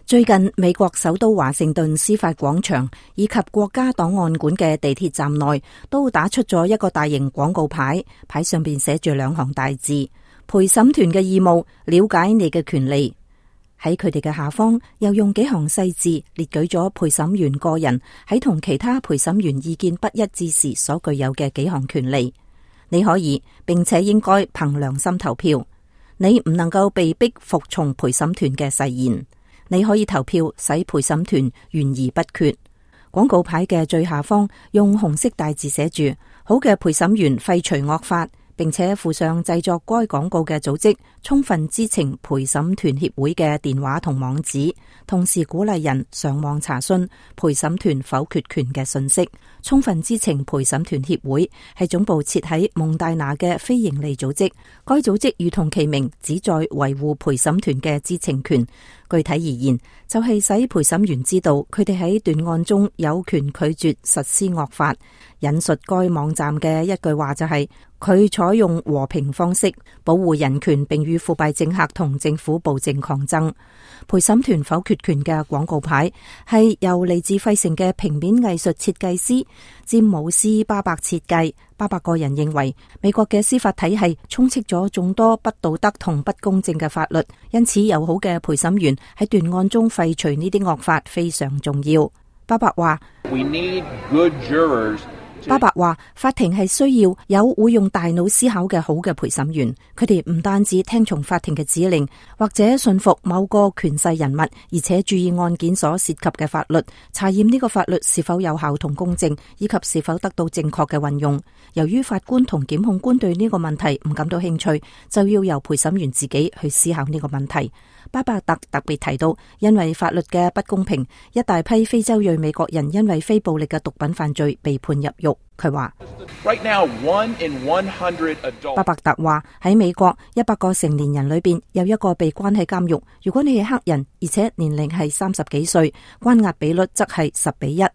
最近美國首都華盛頓司法廣場以及國家檔案館嘅地鐵站內都打出咗一個大型廣告牌，牌上邊寫住兩行大字：陪審團嘅義務，了解你嘅權利。喺佢哋嘅下方又用幾行細字列舉咗陪審員個人喺同其他陪審員意見不一致時所具有嘅幾項權利。你可以並且應該憑良心投票，你唔能夠被逼服從陪審團嘅誓言。你可以投票使陪審團懸而不決。廣告牌嘅最下方用紅色大字寫住：好嘅陪審員廢除惡法，並且附上製作該廣告嘅組織充分知情陪審團協會嘅電話同網址，同時鼓勵人上網查詢陪審團否決權嘅信息。充分知情陪審團協會係總部設喺蒙大拿嘅非營利組織，該組織如同其名，旨在維護陪審團嘅知情權。具體而言，就係使陪審員知道佢哋喺斷案中有權拒絕實施惡法。引述該網站嘅一句話就係：佢採用和平方式保護人權，並與腐敗政客同政府暴政抗爭。陪審團否決權嘅廣告牌係由嚟自費城嘅平面藝術設計師詹姆斯巴伯設計。巴伯個人認為美國嘅司法體系充斥咗眾多不道德同不公正嘅法律，因此友好嘅陪審員喺斷案中廢除呢啲惡法非常重要。巴伯話法庭係需要有會用大腦思考嘅好嘅陪審員，佢哋唔單止聽從法庭嘅指令，或者信服某個權勢人物，而且注意案件所涉及嘅法律，查驗呢個法律是否有效同公正，以及是否得到正確嘅運用。由於法官同檢控官對呢個問題唔感到興趣，就要由陪審員自己去思考呢個問題。巴伯特別提到，因為法律嘅不公平，一大批非洲裔美國人因為非暴力嘅毒品犯罪被判入獄。佢話巴伯特話喺美國100個成年人裏邊有一個被關喺監獄。如果你係黑人，而且年齡係30幾歲，關押比率則係10:1。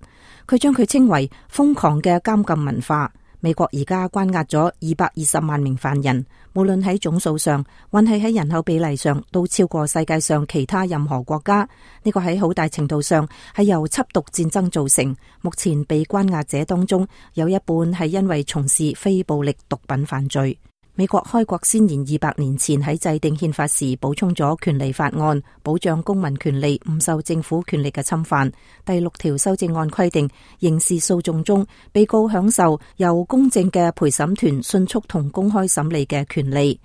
佢將佢稱為瘋狂嘅監禁文化。美國而家關押咗220萬名犯人，無論喺總數上，還係喺人口比例上，都超過世界上其他任何國家。呢個喺好大程度上係由緝毒戰爭造成。目前被關押者當中，有一半係因為從事非暴力毒品犯罪。美國開國先賢200年前喺制定憲法時補充咗權利法案，保障公民權利唔受政府權力嘅侵犯。第6條修正案規定，刑事訴訟中被告享受由公正嘅陪審團迅速同公開審理嘅權利。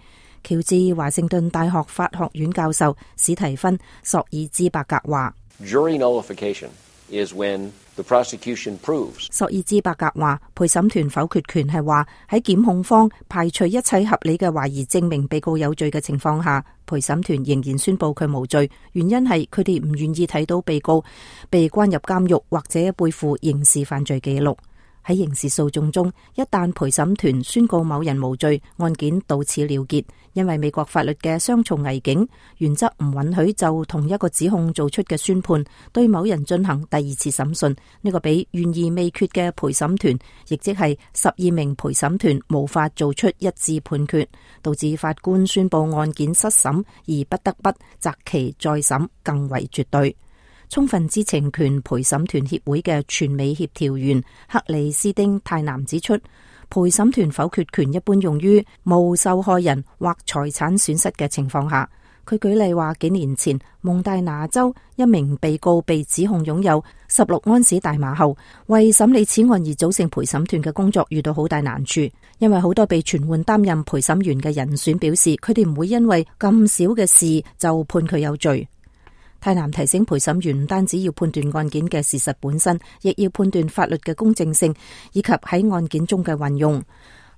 喬治華盛頓大學法學院教授史提芬·索爾茲伯格話：Jury nullification is when the prosecution proves。索爾茲伯格話，陪審團否決權係話喺檢控方排除一切合理嘅懷疑證明被告有罪嘅情況下，陪審團仍然宣布佢無罪，原因係佢哋唔願意睇到被告被關入監獄或者背負刑事犯罪記錄。喺刑事訴訟中，一旦陪審團宣告某人無罪，案件到此了結。因為美國法律嘅雙重危境原則唔允許就同一個指控做出嘅宣判對某人進行第2次審訊。呢個比懸而未決嘅陪審團，亦即係12名陪審團無法做出一致判決，導致法官宣布案件失審而不得不擇期再審，更為絕對。充分知情權陪審團協會嘅全美協調員克里斯丁泰南指出，陪審團否決權一般用於無受害人或財產損失嘅情況下。佢舉例話，幾年前蒙大拿州一名被告被指控擁有16安士大麻後，為審理此案而組成陪審團嘅工作遇到好大難處，因為好多被傳喚擔任陪審員嘅人選表示，佢哋唔會因為咁少嘅事就判佢有罪。泰南提醒陪審員唔單止要判斷案件嘅事實本身，亦要判斷法律嘅公正性以及喺案件中嘅運用。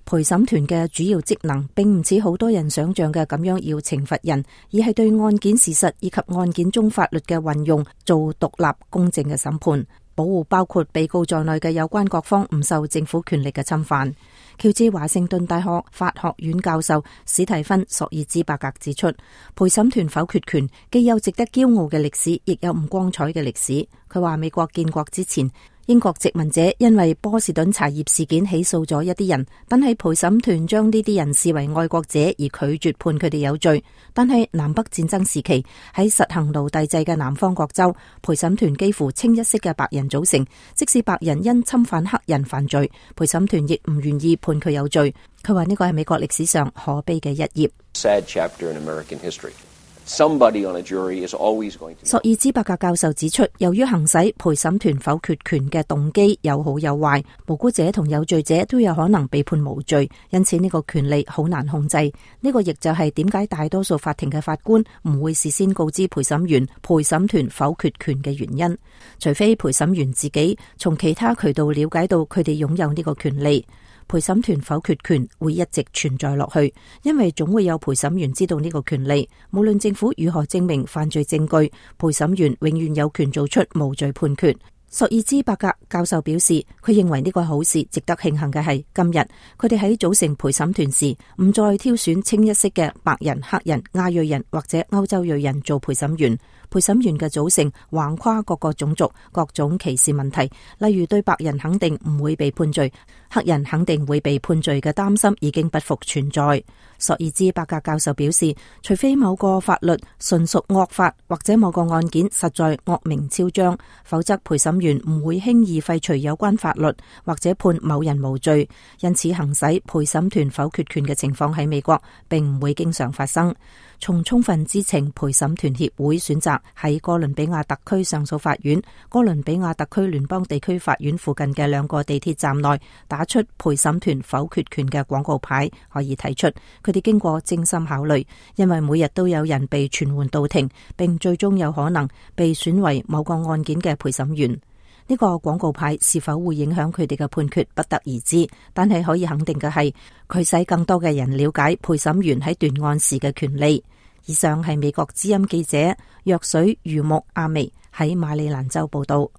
陪審團嘅主要職能並唔似好多人想象嘅咁樣要懲罰人，而係對案件事實以及案件中法律嘅運用做獨立公正嘅審判，保護包括被告在內嘅有關各方唔受政府權力嘅侵犯。喬治華盛頓大學法學院教授史提芬·索爾茲伯格指出，陪審團否決權既有值得驕傲嘅歷史，亦有唔光彩嘅歷史。佢話美國建國之前，英國殖民者因為波士頓茶葉事件起訴咗一啲人，但係陪審團將呢啲人視為愛國者而拒絕判佢哋有罪。但係南北戰爭時期喺實行奴隸制嘅南方各州，陪審團幾乎清一色嘅白人組成，即使白人因侵犯黑人犯罪，陪審團亦唔願意判佢有罪。佢話呢個係美國歷史上可悲嘅一頁。Sad chapter in American history. Somebody on a jury is always going to... 索爾茲伯格教授指出，由於行使陪審團否決權嘅動機有好有壞，無辜者同有罪者都有可能被判無罪，因此呢個權利好難控制。呢個亦就係點解大多數法庭嘅法官唔會事先告知陪審員陪審團否決權嘅原因，除非陪審員自己從其他渠道了解到佢哋擁有呢個權利。陪審團否決權會一直存在落去，因為總會有陪審員知道呢個權利。無論政府如何證明犯罪證據，陪審員永遠有權做出無罪判決。索爾茲伯格教授表示，佢認為呢個好事。值得慶幸嘅係，今日佢哋喺組成陪審團時，唔再挑選清一色嘅白人、黑人、亞裔人或者歐洲裔人做陪審員。陪審員嘅組成橫跨各個種族、各種歧視問題，例如對白人肯定唔會被判罪，黑人肯定會被判罪嘅擔心已經不復存在。索爾茲伯格教授表示，除非某個法律純屬惡法，或者某個案件實在惡名昭彰，否則陪審員唔會輕易廢除有關法律，或者判某人無罪。因此，行使陪審團否決權嘅情況喺美國並唔會經常發生。從充分知情，陪審團協會選擇喺哥倫比亞特區上訴法院、哥倫比亞特區聯邦地區法院附近嘅2個地鐵站內打出陪審團否決權嘅廣告牌，可以睇出佢哋經過精心考慮，因為每日都有人被傳喚到庭，並最終有可能被選為某個案件嘅陪審員。呢個廣告牌是否會影響佢哋嘅判決，不得而知，但係可以肯定嘅係，佢使更多嘅人了解陪審員喺斷案時嘅權利。以上係美國之音記者藥水魚木亞美喺馬里蘭州報道。